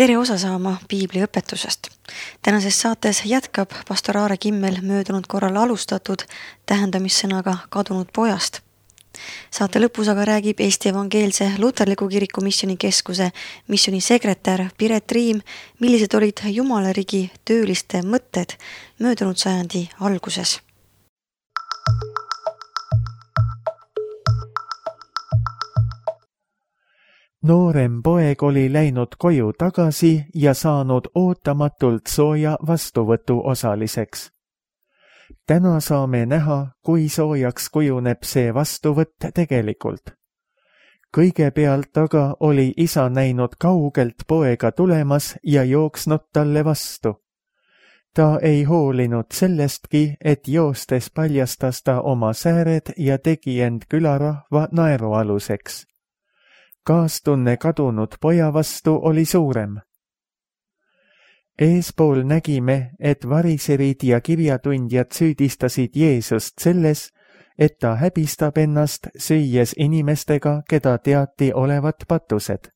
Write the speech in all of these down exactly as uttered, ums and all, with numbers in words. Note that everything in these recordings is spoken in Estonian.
Tere osa saama piibli õpetusest. Tänases saates jätkab pastor Aare Kimmel möödunud korral alustatud tähendamissõnaga kadunud pojast. Saate lõpus aga räägib Eesti Evangeelse Luterliku Kiriku Misjoni Keskuse misjoni sekretär Piret Riim, millised olid Jumalarigi tööliste mõtted möödunud sajandi alguses. Noorem poeg oli läinud koju tagasi ja saanud ootamatult sooja vastuvõtu osaliseks. Täna saame näha, kui soojaks kujuneb see vastuvõtt tegelikult. Kõigepealt aga oli isa näinud kaugelt poega tulemas ja jooksnud talle vastu. Ta ei hoolinud sellestki, et joostes paljastas ta oma sääred ja tegi end külarahva naerualuseks. Kaastunne kadunud poja vastu oli suurem. Eespool nägime, et variserid ja kirjatundjad süüdistasid Jeesust selles, et ta häbistab ennast, süües inimestega, keda teati olevat patused.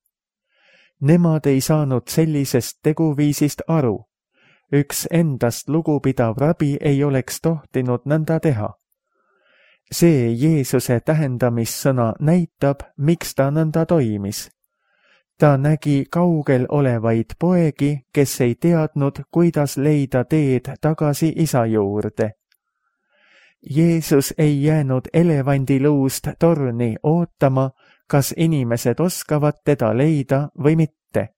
Nemad ei saanud sellisest teguviisist aru. Üks endast lugupidav rabi ei oleks tohtinud nõnda teha. See Jeesuse tähendamissõna näitab, miks ta nõnda toimis. Ta nägi kaugel olevaid poegi, kes ei teadnud, kuidas leida teed tagasi isa juurde. Jeesus ei jäänud elevandiluust torni ootama, kas inimesed oskavad teda leida või mitte.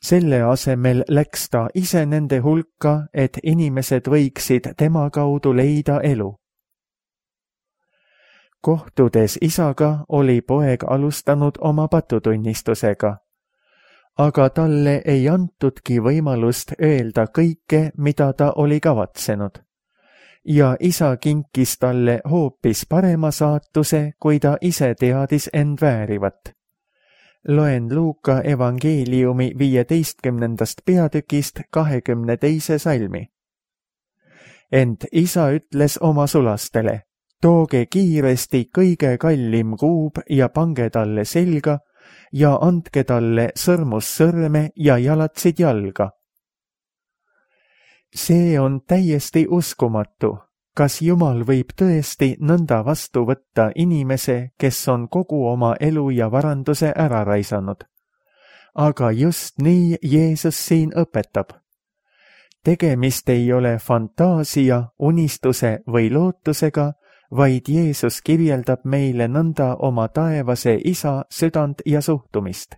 Selle asemel läks ta ise nende hulka, et inimesed võiksid tema kaudu leida elu. Kohtudes isaga oli poeg alustanud oma patutunnistusega, aga talle ei antudki võimalust öelda kõike, mida ta oli kavatsenud. Ja isa kinkis talle hoopis parema saatuse, kui ta ise teadis end väärivat. Loen Luuka evangeeliumi viieteistkümnendast peatükist kahekümne teise salmi. Ent isa ütles oma sulastele: tooge kiiresti kõige kallim kuub ja pange talle selga ja andke talle sõrmussõrme ja jalatsid jalga. See on täiesti uskumatu. Kas Jumal võib tõesti nõnda vastu võtta inimese, kes on kogu oma elu ja varanduse ära raisanud? Aga just nii Jeesus siin õpetab. Tegemist ei ole fantaasia, unistuse või lootusega, vaid Jeesus kirjeldab meile nõnda oma taevase isa südant ja suhtumist.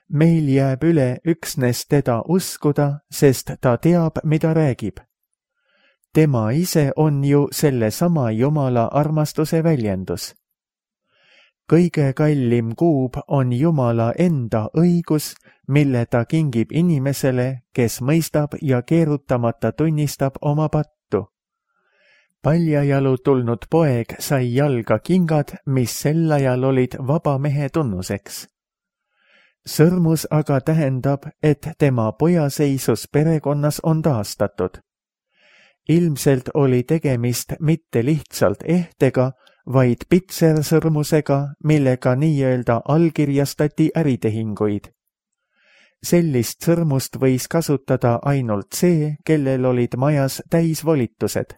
Meil jääb üle üksnes teda uskuda, sest ta teab, mida räägib. Tema ise on ju selle sama Jumala armastuse väljendus. Kõige kallim kuub on Jumala enda õigus, mille ta kingib inimesele, kes mõistab ja keerutamata tunnistab oma pattu. Paljajalu tulnud poeg sai jalga kingad, mis sel ajal olid vaba mehe tunnuseks. Sõrmus aga tähendab, et tema pojaseisus perekonnas on taastatud. Ilmselt oli tegemist mitte lihtsalt ehtega, vaid pitsersõrmusega, millega nii-öelda allkirjastati äritehinguid. Sellist sõrmust võis kasutada ainult see, kellel olid majas täisvolitused.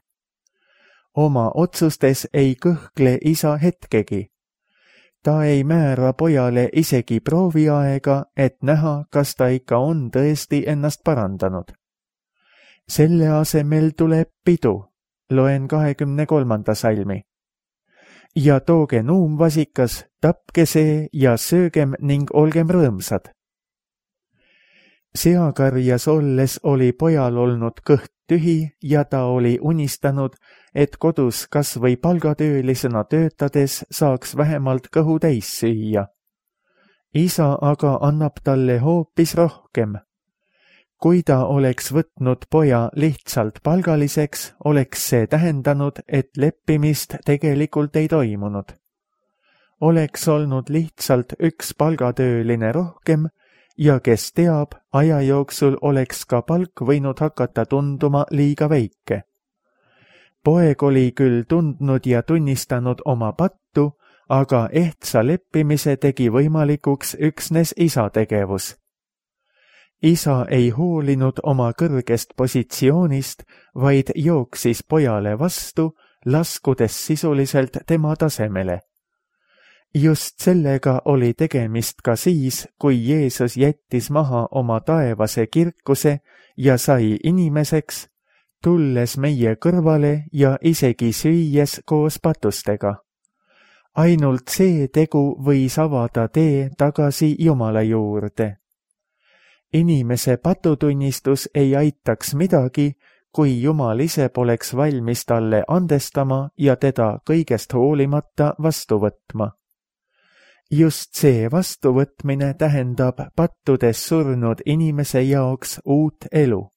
Oma otsustes ei kõhkle isa hetkegi. Ta ei määra pojale isegi prooviaega, et näha, kas ta ikka on tõesti ennast parandanud. Selle asemel tuleb pidu. Loen kahekümne kolmanda salmi. Ja tooge nuumvasikas, tapke see ja söögem ning olgem rõõmsad. Seakarjas olles oli pojal olnud kõht tühi ja ta oli unistanud, et kodus kas või palgatöölisena töötades saaks vähemalt kõhu täis süüa. Isa aga annab talle hoopis rohkem. Kui ta oleks võtnud poja lihtsalt palgaliseks, oleks see tähendanud, et leppimist tegelikult ei toimunud. Oleks olnud lihtsalt üks palgatööline rohkem, ja kes teab, aja jooksul oleks ka palk võinud hakata tunduma liiga väike. Poeg oli küll tundnud ja tunnistanud oma pattu, aga ehtsa leppimise tegi võimalikuks üksnes isa tegevus. isa ei hoolinud oma kõrgest positsioonist, vaid jooksis pojale vastu, laskudes sisuliselt tema tasemele. Just sellega oli tegemist ka siis, kui Jeesus jättis maha oma taevase kirkuse ja sai inimeseks, tulles meie kõrvale ja isegi süües koos patustega. Ainult see tegu võis avada tee tagasi Jumala juurde. Inimese patutunnistus ei aitaks midagi, kui Jumal ise poleks valmis talle andestama ja teda kõigest hoolimata vastu võtma. Just see vastuvõtmine tähendab pattudes surnud inimese jaoks uut elu.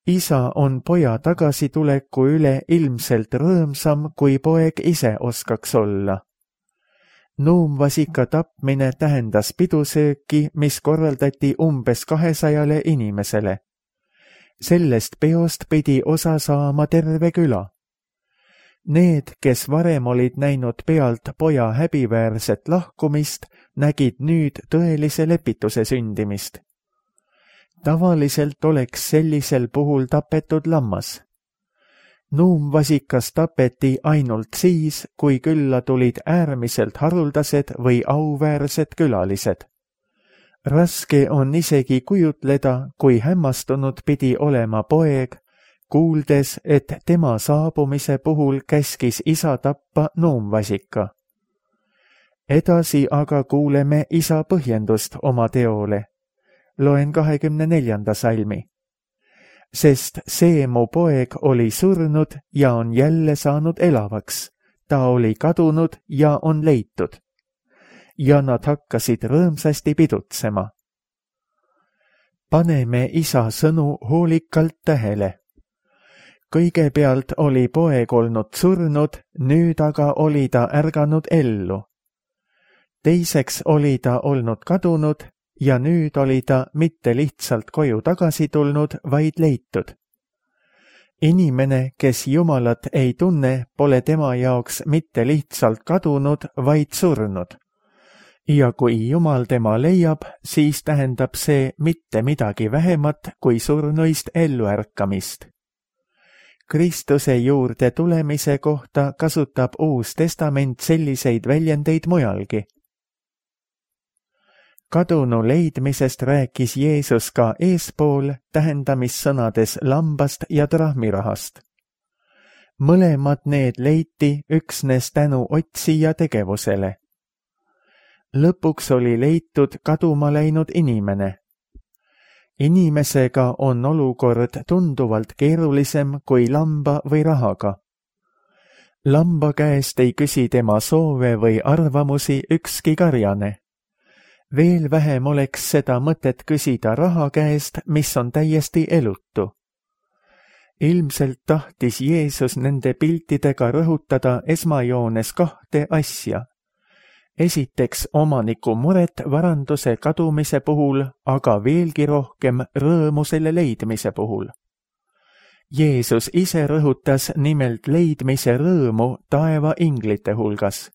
Isa on poja tagasituleku üle ilmselt rõõmsam, kui poeg ise oskaks olla. Nuumvasika tapmine tähendas pidusööki, mis korraldati umbes kahesajale inimesele. Sellest peost pidi osa saama terve küla. Need, kes varem olid näinud pealt poja häbiväärset lahkumist, nägid nüüd tõelise lepituse sündimist. Tavaliselt oleks sellisel puhul tapetud lammas. Nuumvasikas tapeti ainult siis, kui külla tulid äärmiselt haruldased või auväärsed külalised. Raske on isegi kujutleda, kui hämmastunud pidi olema poeg, kuuldes, et tema saabumise puhul käskis isa tappa nuumvasika. Edasi aga kuuleme isa põhjendust oma teole. Loen kahekümne neljanda salmi. Sest see mu poeg oli surnud ja on jälle saanud elavaks. Ta oli kadunud ja on leitud. Ja nad hakkasid rõõmsasti pidutsema. Paneme isa sõnu hoolikalt tähele. Kõigepealt oli poeg olnud surnud, nüüd aga oli ta ärganud ellu. Teiseks oli ta olnud kadunud ja nüüd oli ta mitte lihtsalt koju tagasi tulnud, vaid leitud. Inimene, kes Jumalat ei tunne, pole tema jaoks mitte lihtsalt kadunud, vaid surnud. Ja kui Jumal tema leiab, siis tähendab see mitte midagi vähemat kui surnuist elluärkamist. Kristuse juurde tulemise kohta kasutab Uus Testament selliseid väljendeid mujalgi. Kadunu leidmisest rääkis Jeesus ka eespool tähendamissõnades lambast ja trahmirahast. Mõlemad need leiti üksnes tänu otsija tegevusele. Lõpuks oli leitud kaduma läinud inimene. Inimesega on olukord tunduvalt keerulisem kui lamba või rahaga. Lamba käest ei küsi tema soove või arvamusi ükski karjane. Veel vähem oleks seda mõtet küsida raha käest, mis on täiesti elutu. Ilmselt tahtis Jeesus nende piltidega rõhutada esmajoones kahte asja. Esiteks omaniku muret varanduse kadumise puhul, aga veelgi rohkem rõõmu selle leidmise puhul. Jeesus ise rõhutas nimelt leidmise rõõmu taeva inglite hulgas.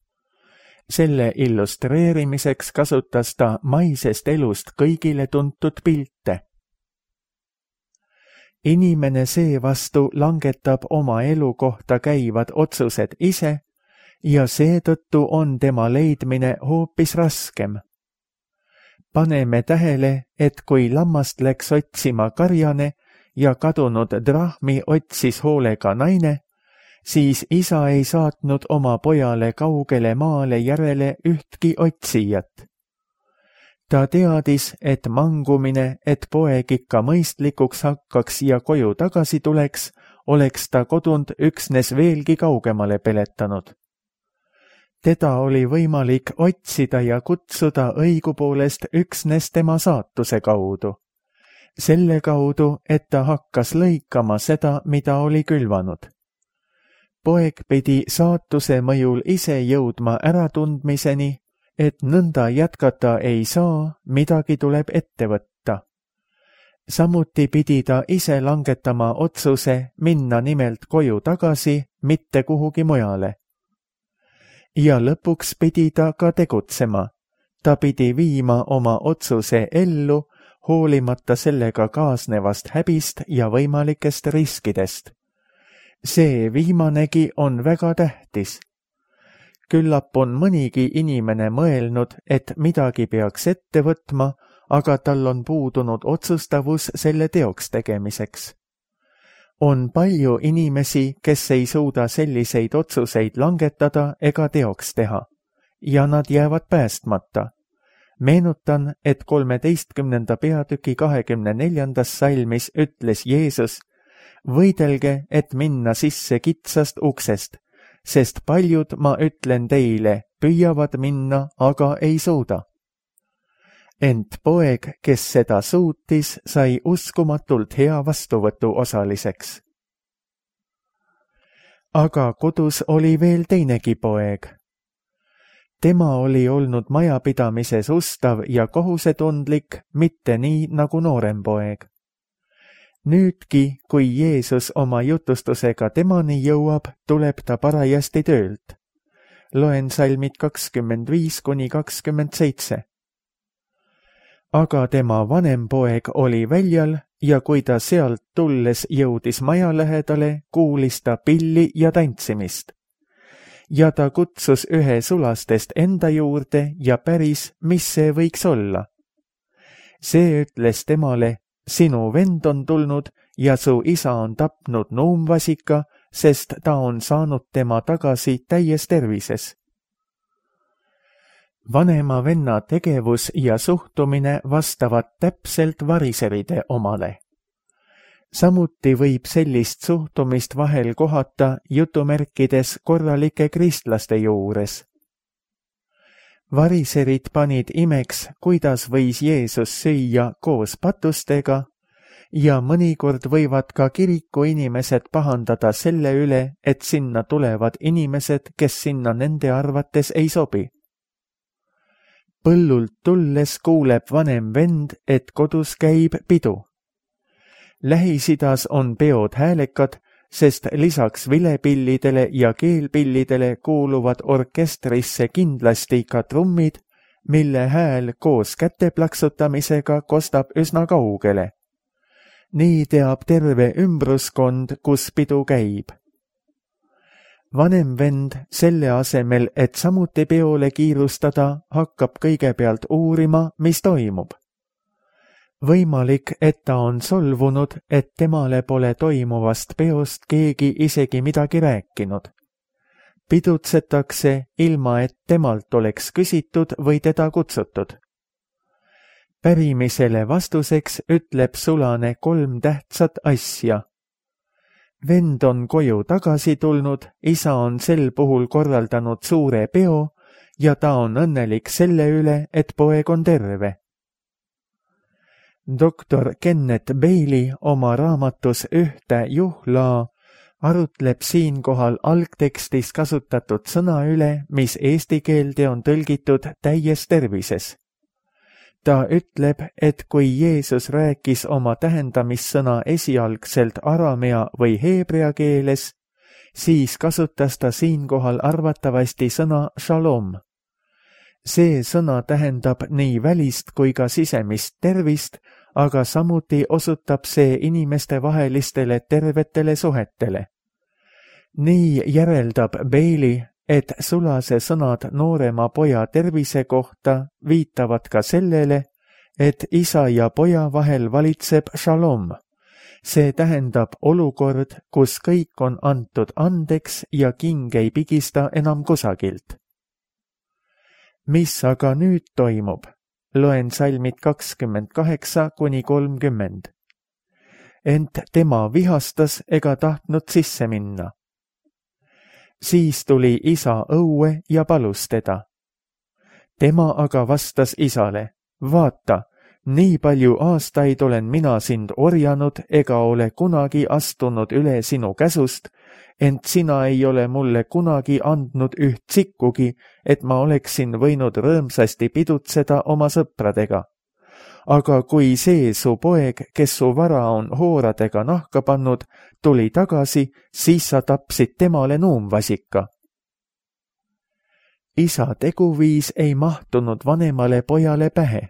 Selle illustreerimiseks kasutas ta maisest elust kõigile tuntud pilte. Inimene seevastu langetab oma elu kohta käivad otsused ise ja seetõttu on tema leidmine hoopis raskem. Paneme tähele, et kui lammast läks otsima karjane ja kadunud drahmi otsis hoolega naine, siis isa ei saatnud oma pojale kaugele maale järele ühtki otsijat. Ta teadis, et mangumine, et poeg ikka mõistlikuks hakkaks ja koju tagasi tuleks, oleks ta kodunt üksnes veelgi kaugemale peletanud. Teda oli võimalik otsida ja kutsuda õigupoolest üksnes tema saatuse kaudu. Selle kaudu, et ta hakkas lõikama seda, mida oli külvanud. Poeg pidi saatuse mõjul ise jõudma äratundmiseni, et nõnda jätkata ei saa, midagi tuleb ette võtta. Samuti pidi ta ise langetama otsuse minna nimelt koju tagasi, mitte kuhugi mujale. Ja lõpuks pidi ta ka tegutsema. ta pidi viima oma otsuse ellu, hoolimata sellega kaasnevast häbist ja võimalikest riskidest. See viimanegi on väga tähtis. Küllap on mõnigi inimene mõelnud, et midagi peaks ette võtma, aga tal on puudunud otsustavus selle teoks tegemiseks. On palju inimesi, kes ei suuda selliseid otsuseid langetada ega teoks teha, ja nad jäävad päästmata. Meenutan, et kolmeteistkümnenda peatüki kahekümne neljandas salmis ütles Jeesus: võidelge, et minna sisse kitsast uksest, sest paljud, ma ütlen teile, püüavad minna, aga ei suuda. Ent poeg, kes seda suutis, sai uskumatult hea vastuvõtu osaliseks. Aga kodus oli veel teinegi poeg. Tema oli olnud majapidamises ustav ja kohusetundlik, mitte nii nagu noorem poeg. Nüüdki, kui Jeesus oma jutustusega temani jõuab, tuleb ta parajasti töölt. Loen salmid kakskümmend viis kuni kakskümmend seitse. Aga tema vanem poeg oli väljal ja kui ta sealt tulles jõudis maja lähedale, kuulis ta pilli ja tantsimist. Ja ta kutsus ühe sulastest enda juurde ja päris, mis see võiks olla. See ütles temale: sinu vend on tulnud ja su isa on tapnud nuumvasika, sest ta on saanud tema tagasi täies tervises. Vanema venna tegevus ja suhtumine vastavad täpselt variseride omale. Samuti võib sellist suhtumist vahel kohata jutumärkides korralike kristlaste juures. Variserid panid imeks, kuidas võis Jeesus süüa koos patustega, ja mõnikord võivad ka kiriku inimesed pahandada selle üle, et sinna tulevad inimesed, kes sinna nende arvates ei sobi. Põllult tulles kuuleb vanem vend, et kodus käib pidu. Lähis-Idas on peod häälekad, sest lisaks vilepillidele ja keelpillidele kuuluvad orkestrisse kindlasti ka trummid, mille hääl koos käteplaksutamisega kostab üsna kaugele. Nii teab terve ümbruskond, kus pidu käib. Vanem vend selle asemel, et samuti peole kiirustada, hakkab kõigepealt uurima, mis toimub. Võimalik, et ta on solvunud, et temale pole toimuvast peost keegi isegi midagi rääkinud. Pidutsetakse, ilma et temalt oleks küsitud või teda kutsutud. Pärimisele vastuseks ütleb sulane kolm tähtsat asja. Vend on koju tagasi tulnud, isa on sel puhul korraldanud suure peo ja ta on õnnelik selle üle, et poeg on terve. doktor Kenneth Bailey oma raamatus Ühte juhlaa arutleb siinkohal algtekstis kasutatud sõna üle, mis eesti keelde on tõlgitud täies tervises. Ta ütleb, et kui Jeesus rääkis oma tähendamissõna esialgselt aramea või heebrea keeles, siis kasutas ta siinkohal arvatavasti sõna shalom. See sõna tähendab nii välist kui ka sisemist tervist, aga samuti osutab see inimeste vahelistele tervetele suhetele. Nii järeldab Bailey, et sulase sõnad noorema poja tervise kohta viitavad ka sellele, et isa ja poja vahel valitseb shalom. See tähendab olukord, kus kõik on antud andeks ja king ei pigista enam kusagilt. Mis aga nüüd toimub? Loen salmid kakskümmend kaheksa kuni kolmkümmend. Ent tema vihastas ega tahtnud sisse minna. Siis tuli isa õue ja palus teda. Tema aga vastas isale: vaata, nii palju aastaid olen mina sind orjanud ega ole kunagi astunud üle sinu käsust, ent sina ei ole mulle kunagi andnud üht sikkugi, et ma oleksin võinud rõõmsasti pidutseda oma sõpradega. Aga kui see su poeg, kes su vara on hooradega nahka pannud, tuli tagasi, siis sa tapsid temale nuumvasika. isa teguviis ei mahtunud vanemale pojale pähe.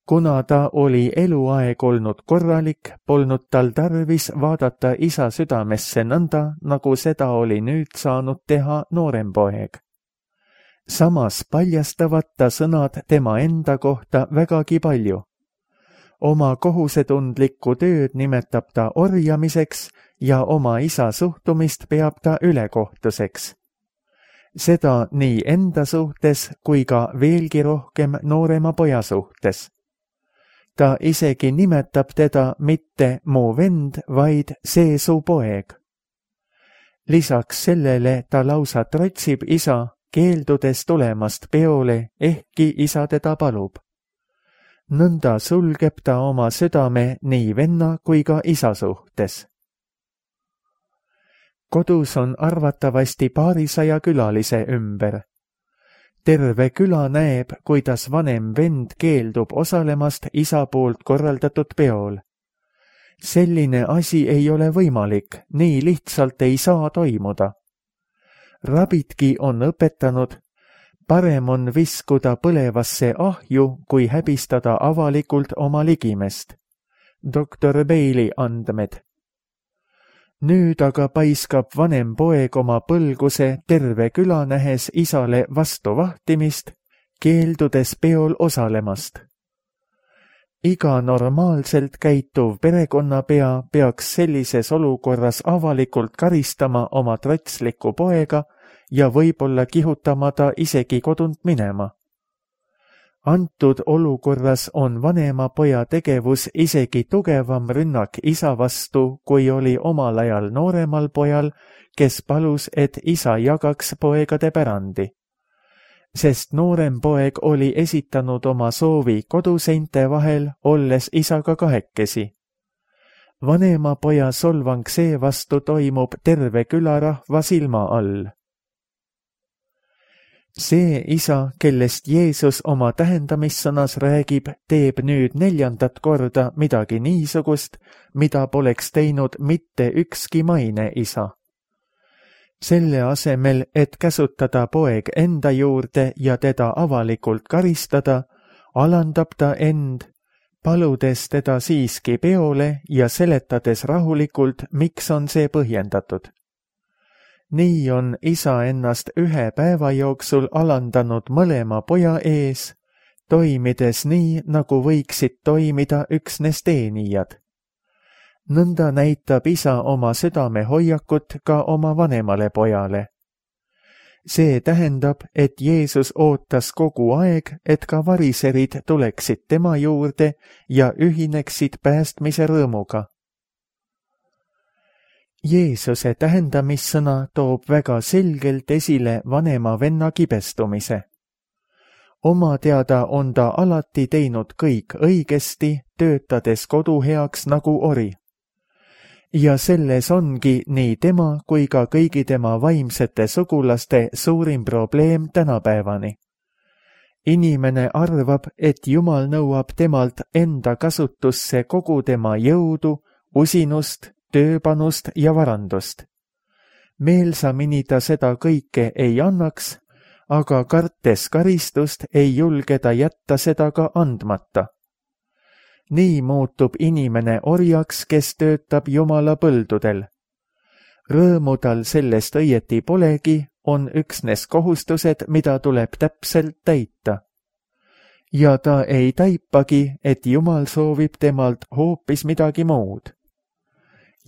Kuna ta oli eluaeg olnud korralik, polnud tal tarvis vaadata isa südamesse nõnda, nagu seda oli nüüd saanud teha noorem poeg. Samas paljastavad ta sõnad tema enda kohta vägagi palju. Oma kohusetundlikku tööd nimetab ta orjamiseks ja oma isa suhtumist peab ta ülekohtuseks. Seda nii enda suhtes kui ka veelgi rohkem noorema poja suhtes. Ta isegi nimetab teda mitte mu vend, vaid see su poeg. Lisaks sellele ta lausa trotsib isa, keeldudes tulemast peole, ehkki isa teda palub. Nõnda sulgeb ta oma südame nii venna kui ka isa suhtes. Kodus on arvatavasti paarisaja külalise ümber. Terve küla näeb, kuidas vanem vend keeldub osalemast isa poolt korraldatud peol. Selline asi ei ole võimalik, nii lihtsalt ei saa toimuda. Rabidki on õpetanud, parem on viskuda põlevasse ahju, kui häbistada avalikult oma ligimest. doktor Bailey andmed. Nüüd aga paiskab vanem poeg oma põlguse terve küla nähes isale vastu vahtimist, keeldudes peol osalemast. Iga normaalselt käituv perekonnapea peaks sellises olukorras avalikult karistama oma trotsliku poega ja võib-olla kihutama ta isegi kodunt minema. Antud olukorras on vanema poja tegevus isegi tugevam rünnak isa vastu, kui oli omal ajal nooremal pojal, kes palus, et isa jagaks poegade pärandi. Sest noorem poeg oli esitanud oma soovi koduseinte vahel, olles isaga kahekesi. Vanema poja solvang seevastu toimub terve külarahva silma all. See isa, kellest Jeesus oma tähendamissõnas räägib, teeb nüüd neljandat korda midagi niisugust, mida poleks teinud mitte ükski maine isa. Selle asemel, et käsutada poeg enda juurde ja teda avalikult karistada, alandab ta end, paludes teda siiski peole ja seletades rahulikult, miks on see põhjendatud. Nii on isa ennast ühe päeva jooksul alandanud mõlema poja ees, toimides nii, nagu võiksid toimida üksnes teenijad. Nõnda näitab isa oma südame hoiakut ka oma vanemale pojale. See tähendab, et Jeesus ootas kogu aeg, et ka variserid tuleksid tema juurde ja ühineksid päästmise rõõmuga. Jeesuse tähendamissõna toob väga selgelt esile vanema venna kibestumise. Oma teada on ta alati teinud kõik õigesti, töötades kodu heaks nagu ori. Ja selles ongi nii tema kui ka kõigi tema vaimsete sugulaste suurim probleem tänapäevani. Inimene arvab, et Jumal nõuab temalt enda kasutusse kogu tema jõudu, usinust, tööpanust ja varandust. Meelsamini ta seda kõike ei annaks, aga kartes karistust ei julge ta jätta seda ka andmata. Nii muutub inimene orjaks, kes töötab Jumala põldudel. Rõõmu tal sellest õieti polegi, on üksnes kohustused, mida tuleb täpselt täita. Ja ta ei taipagi, et Jumal soovib temalt hoopis midagi muud.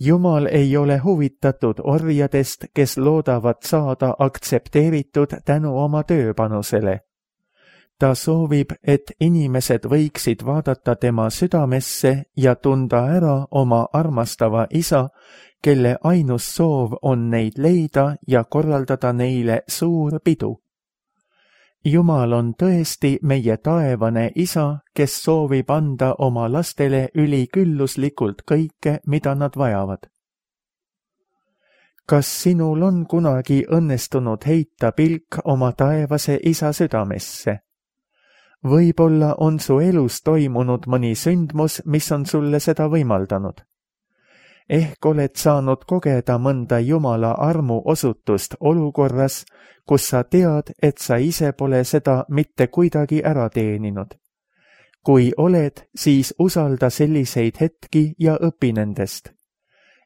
Jumal ei ole huvitatud orjadest, kes loodavad saada aktsepteeritud tänu oma tööpanusele. Ta soovib, et inimesed võiksid vaadata tema südamesse ja tunda ära oma armastava isa, kelle ainus soov on neid leida ja korraldada neile suur pidu. Jumal on tõesti meie taevane isa, kes soovib anda oma lastele ülikülluslikult kõike, mida nad vajavad. Kas sinul on kunagi õnnestunud heita pilk oma taevase isa südamesse? Võib-olla on su elus toimunud mõni sündmus, mis on sulle seda võimaldanud. ehk oled saanud kogeda mõnda Jumala armu osutust olukorras, kus sa tead, et sa ise pole seda mitte kuidagi ära teeninud. Kui oled, siis usalda selliseid hetki ja õpi nendest.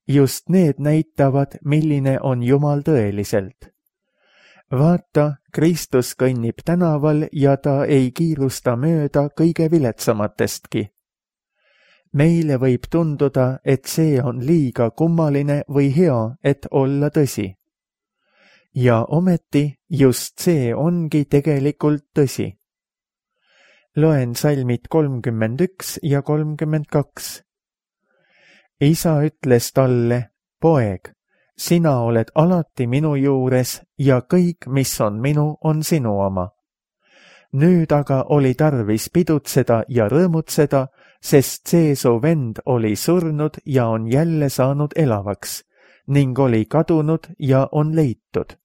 Just need näitavad, milline on Jumal tõeliselt. Vaata, Kristus kõnnib tänaval ja ta ei kiirusta mööda kõige viletsamatestki. Meile võib tunduda, et see on liiga kummaline või hea, et olla tõsi. Ja ometi just see ongi tegelikult tõsi. Loen salmid kolmkümmend üks ja kolmkümmend kaks. Isa ütles talle, poeg, sina oled alati minu juures ja kõik, mis on minu, on sinu oma. Nüüd aga oli tarvis pidutseda ja rõõmutseda, sest see su vend oli surnud ja on jälle saanud elavaks ning oli kadunud ja on leitud.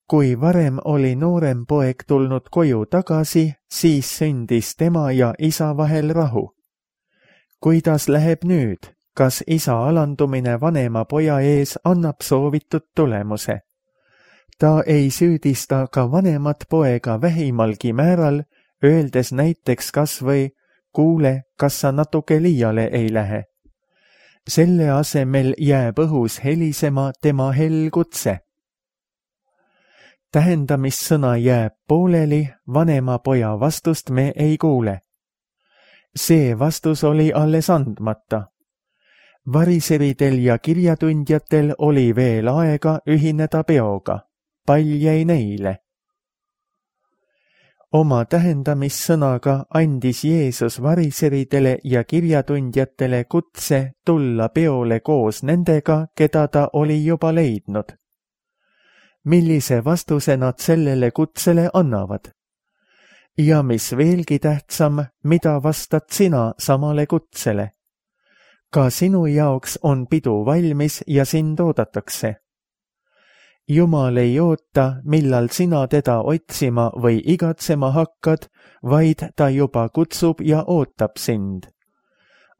Kui varem oli noorem poeg tulnud koju tagasi, siis sündis tema ja isa vahel rahu. Kuidas läheb nüüd? Kas isa alandumine vanema poja ees annab soovitud tulemuse? Ta ei süüdista ka vanemat poega vähimalgi määral, öeldes näiteks kas või, kuule, kas sa natuke liiale ei lähe. Selle asemel jääb õhus helisema tema hell kutse. Tähendamissõna jääb pooleli, vanema poja vastust me ei kuule. See vastus oli alles andmata. Variseridel ja kirjatundjatel oli veel aega ühineda peoga. Pall jäi neile. Oma tähendamissõnaga andis Jeesus variseridele ja kirjatundjatele kutse tulla peole koos nendega, keda ta oli juba leidnud. Millise vastuse nad sellele kutsele annavad? Ja mis veelgi tähtsam, mida vastad sina samale kutsele? Ka sinu jaoks on pidu valmis ja sind oodatakse. Jumal ei oota, millal sina teda otsima või igatsema hakkad, vaid ta juba kutsub ja ootab sind.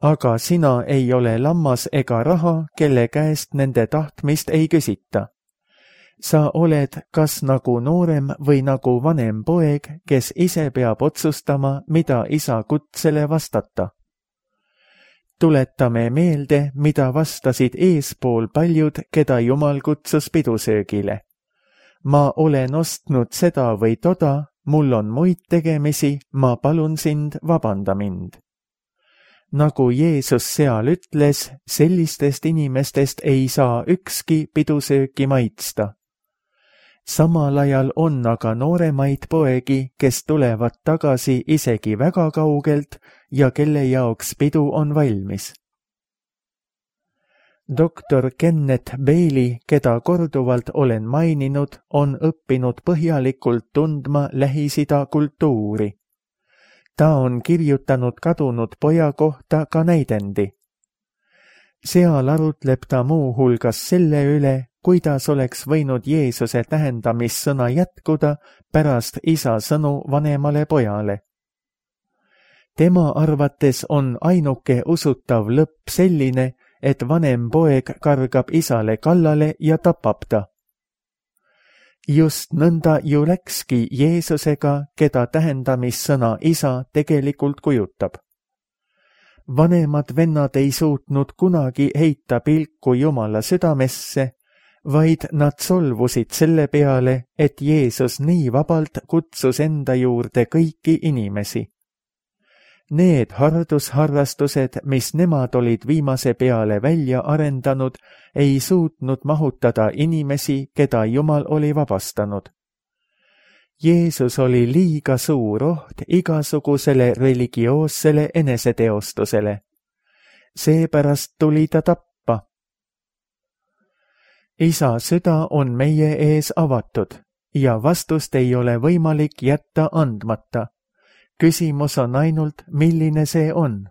Aga sina ei ole lammas ega raha, kelle käest nende tahtmist ei küsita. Sa oled kas nagu noorem või nagu vanem poeg, kes ise peab otsustama, mida isa kutsele vastata. Tuletame meelde, mida vastasid eespool paljud, keda Jumal kutsus pidusöögile. Ma olen ostnud seda või toda, mul on muid tegemisi, ma palun sind, vabanda mind. Nagu Jeesus seal ütles, sellistest inimestest ei saa ükski pidusööki maitsta. Samal ajal on aga nooremaid poegi, kes tulevad tagasi isegi väga kaugelt ja kelle jaoks pidu on valmis. doktor Kenneth Bailey, keda korduvalt olen maininud, on õppinud põhjalikult tundma Lähis-Ida kultuuri. Ta on kirjutanud kadunud poja kohta ka näidendi. Seal arutleb ta muu hulgas selle üle, kuidas oleks võinud Jeesuse tähendamissõna jätkuda pärast isa sõnu vanemale pojale. Tema arvates on ainuke usutav lõpp selline, et vanem poeg kargab isale kallale ja tapab ta. Just nõnda ju läkski Jeesusega, keda tähendamissõna isa tegelikult kujutab. Vanemad vennad ei suutnud kunagi heita pilku Jumala südamesse, vaid nad solvusid selle peale, et Jeesus nii vabalt kutsus enda juurde kõiki inimesi. Need hardusharrastused, mis nemad olid viimase peale välja arendanud, ei suutnud mahutada inimesi, keda Jumal oli vabastanud. Jeesus oli liiga suur oht igasugusele religioossele eneseteostusele. Seepärast tuli ta tappa. Isa süda on meie ees avatud ja vastust ei ole võimalik jätta andmata. Küsimus on ainult, milline see on.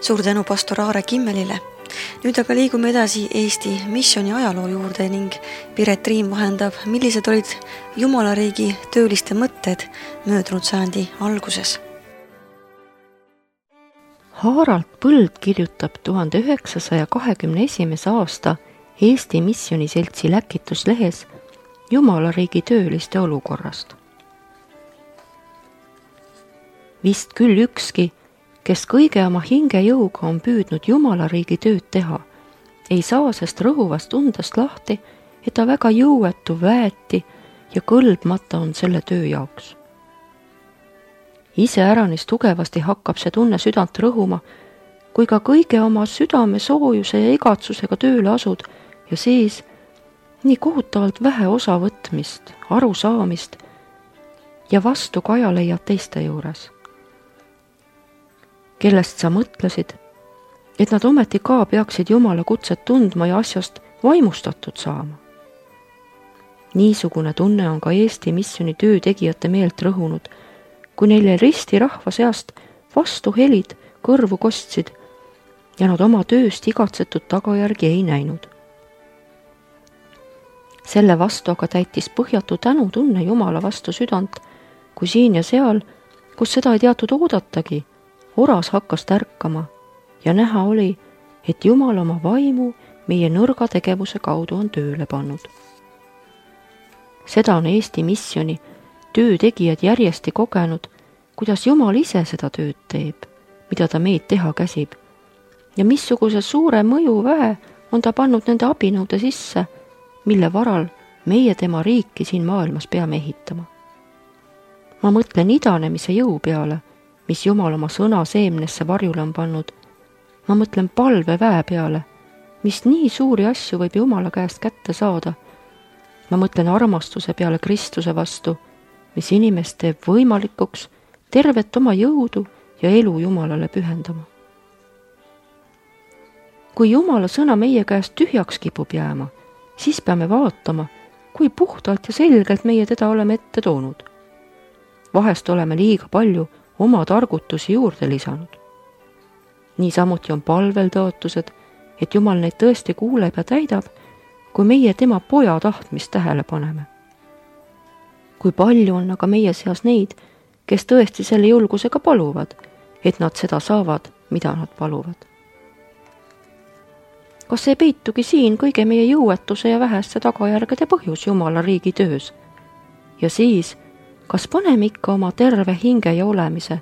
suur tänu pastor Aare Kimmelile. Nüüd aga liigume edasi Eesti missiooni ajaloo juurde ning Piret Riim vahendab, millised olid Jumalariigi tööliste mõtted möödunud sajandi alguses. Harald Põld kirjutab tuhande üheksasaja kahekümne esimese aasta Eesti Missioniseltsi läkituslehes Jumalariigi tööliste olukorrast. Vist küll ükski, kes kõige oma hingejõuga on püüdnud Jumalariigi tööd teha, ei saa sest rõhuvast undest lahti, et ta väga jõuetu, väeti ja kõlbmata on selle töö jaoks. Ise äranis tugevasti hakkab see tunne südant rõhuma, kui ka kõige oma südame soojuse ja igatsusega tööle asud ja siis nii kohutavalt vähe osavõtmist, arusaamist ja vastu kaja leiad teiste juures, kellest sa mõtlesid, et nad ometi ka peaksid Jumala kutset tundma ja asjast vaimustatud saama. Niisugune tunne on ka Eesti missiooni töö tegijate meelt rõhunud, kui neile risti rahva seast vastu helid kõrvu kostsid ja nad oma tööst igatsetud tagajärgi ei näinud. Selle vastu aga täitis põhjatu tänutunne Jumala vastu südant, kui siin ja seal, kus seda ei teatud oodatagi, oras hakkas tärkama ja näha oli, et Jumal oma vaimu meie nõrga tegevuse kaudu on tööle pannud. Seda on Eesti missiooni töötegijad järjesti kogenud, kuidas Jumal ise seda tööd teeb, mida ta meid teha käsib ja missuguse suure mõju väe on ta pannud nende abinõude sisse, mille varal meie tema riiki siin maailmas peame ehitama. Ma mõtlen idanemise jõu peale, mis Jumal oma sõna seemnesse varjule on pannud. Ma mõtlen palveväe peale, mis nii suuri asju võib Jumala käest kätte saada. Ma mõtlen armastuse peale Kristuse vastu, mis inimest teeb võimalikuks tervet oma jõudu ja elu Jumalale pühendama. Kui Jumala sõna meie käest tühjaks kipub jääma, siis peame vaatama, kui puhtalt ja selgelt meie teda oleme ette toonud. Vahest oleme liiga palju oma targutusi juurde lisanud. Niisamuti on palvel tõotused, et Jumal neid tõesti kuuleb ja täidab, kui meie tema poja tahtmist tähele paneme. Kui palju on aga meie seas neid, kes tõesti selle julgusega paluvad, et nad seda saavad, mida nad paluvad. Kas ei peitugi siin kõige meie jõuetuse ja väheste tagajärgede põhjus Jumala riigi töös? Ja siis, kas paneme ikka oma terve hinge ja olemise,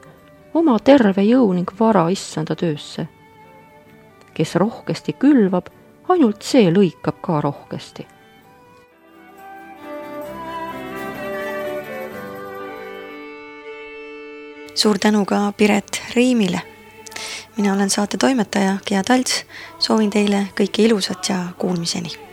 oma terve jõu ning vara issanda töösse? Kes rohkesti külvab, ainult see lõikab ka rohkesti. Suur tänu ka Piret Riimile. Mina olen saate toimetaja Gea Talts, soovin teile kõike ilusat ja kuulmiseni.